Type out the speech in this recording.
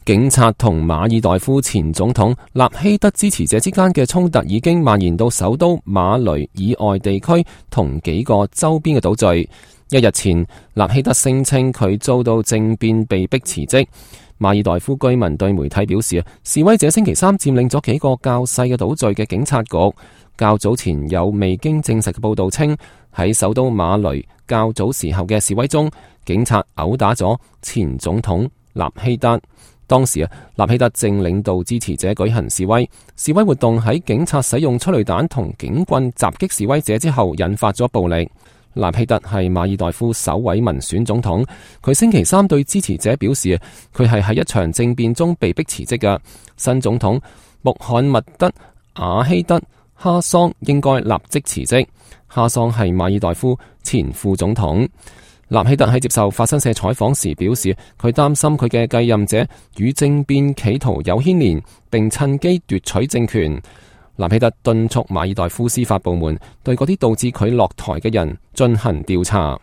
警察同馬爾代夫前總統納希德支持者之間嘅衝突已經蔓延到首都馬雷以外地區同幾個周邊嘅島嶼。一日前，納希德聲稱佢遭到政變被迫辭職。馬爾代夫居民對媒體表示，示威者星期三佔領咗幾個較細嘅島嶼嘅警察局。較早前有未經證實嘅報道稱，喺首都馬雷較早時候嘅示威中，警察毆打咗前總統納希德。當時納希德正領導支持者舉行示威，示威活動喺警察使用催淚彈同警棍襲擊示威者之後引發咗暴力。納希德係馬爾代夫首位民選總統，佢星期三對支持者表示，佢係喺一場政變中被迫辭職嘅。新總統穆罕默德瓦希德哈桑應該立即辭職。哈桑係馬爾代夫前副總統。納希德喺接受法新社採訪時表示，佢擔心佢嘅繼任者與政變企圖有牽連，並趁機奪取政權。納希德敦促馬爾代夫司法部門對嗰啲導致佢落台嘅人進行調查。